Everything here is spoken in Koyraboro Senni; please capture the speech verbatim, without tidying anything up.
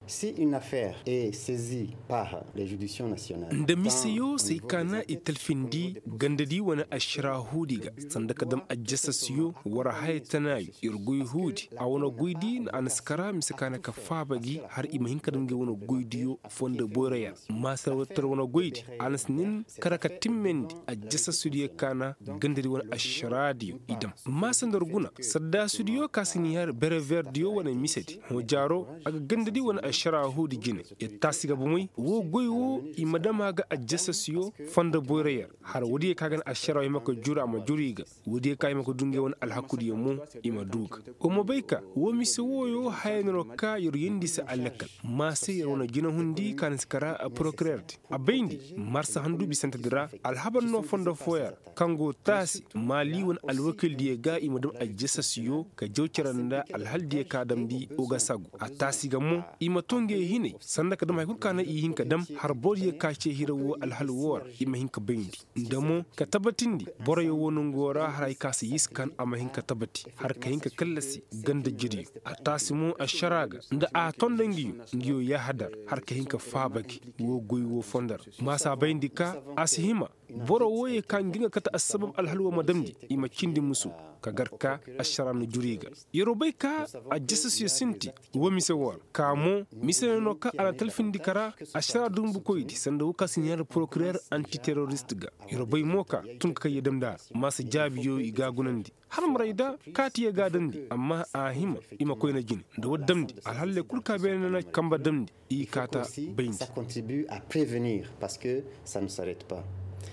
Si une affaire est saisie par les juridictions nationales, nda miseyo se i kaana i talfindi gandadi wane ašaraahudi ga, sanda ka dam ajjasasiyo war haya tanaayo, ir goy huudi a wane goydi a na si kara mise kaana ka faaba gi har i ma hin ka dam ngi wane goydiyo fondo boyra yaŋ. Maasar wattar wane goydi a na si nin kara ka timmandi ajjasasudiyo kaana gandadi wane ašaraadiyo i dam. Maasa nda war guna saddaasudiyo ka si ni har bereverdiyo wane misedi hõ jaaro, a ga gandadi wane ašaraahuudi jine. Yer taasi ga bomey woo goy woo i ma dam a ga ajjasasiyo fondo boyra yer har woodiyo ka ga na ašaraahu i ma koy juru a ma juru i ga. Woodiyo ka i ma koy du ngey wane alhakudiyo mo i ma du ga. Wa ma bay ka woo mise wooyo haya no ka yer yeendi se alakal. Maase yer wane jinahundi ka na si kara porokireerdi a bayndi marsa handu bisantedi ra alhabar no fondo fooyaŋ ra kaŋ go taasi maali wane alwakildiyo ga i ma dam ajjasasiyo ka jaw cere nda alhaldiyo ka damndi ogasagu a taasi ga mo i ma too ngey hinay sanda ka dam haya kul ka na i hin ka dam har borodiyo ka ce hira woo alhal woo ra i ma hin ka bayndi nda mo ka tabatindi boroyo woo nangoo ra har haya ka si yiskan a ma hin ka tabati har ka hin ka kallasi ganda jiriyo a taasi mo ašaraa ga nda a too nda ngiyo ngiyo yaahadar har ka hin ka faaba gi woo goy woo fondo ra maasa bayndi ka a si hima boro wooyey ka ngi nga kate assabab alhal woo ma damndi i ma cindi musu ka gar ka ašaraa na juru i ga. Yer'o bay ka ajjasasiyo sinti woo mise woo ra ka mo mise no no ka a na talfindi kara ašaraa dumbukoydi sanda woo ka si ɲaari porokireer antiterorist ga. Yer'o bay mo ka tun ka kay yee damndi a ra maasa jaabiyo i gaagunandi harmarayda kaati yee gaadandi amma a hima i ma koyna jine nda war damndi alhalley kul ka beene na kambe damndi i kaata bayndi. Ça contribue à prévenir parce que ça ne s'arrête pas.